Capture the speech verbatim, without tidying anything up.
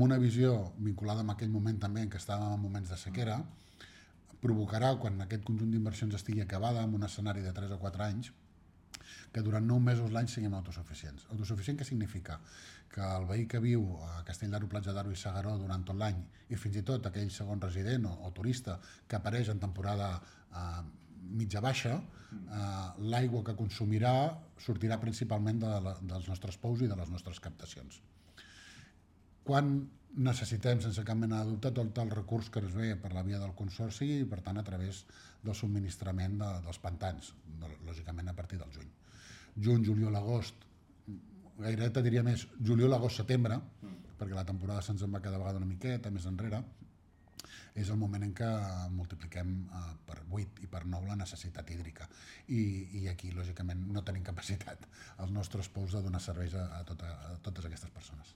Una visió vinculada amb aquell moment també en què estàvem en moments de sequera provocarà, quan aquest conjunt d'inversions estigui acabada en un escenari de tres o quatre anys, que durant nou mesos l'any siguem autosuficients. Autosuficient què significa? Que el veí que viu a Castell d'Aro, Platja d'Aro i S'Agaró durant tot l'any, i fins i tot aquell segon resident o, o turista que apareix en temporada eh, mitja baixa, eh, l'aigua que consumirà sortirà principalment de la, dels nostres pous i de les nostres captacions. Quan necessitem, sense cap mena de dubte, tot el recurs que es ve per la via del Consorci i, per tant, a través del subministrament de, dels pantans, lògicament a partir del juny. Juny, juliol, agost, gairebé te diria més juliol, agost, setembre, mm. perquè la temporada se'ns en va cada vegada una miqueta més enrere, és el moment en què multipliquem eh, per vuit i per nou la necessitat hídrica. I, i aquí, lògicament, no tenim capacitat als nostres pous de donar serveis a, a, tota, a totes aquestes persones.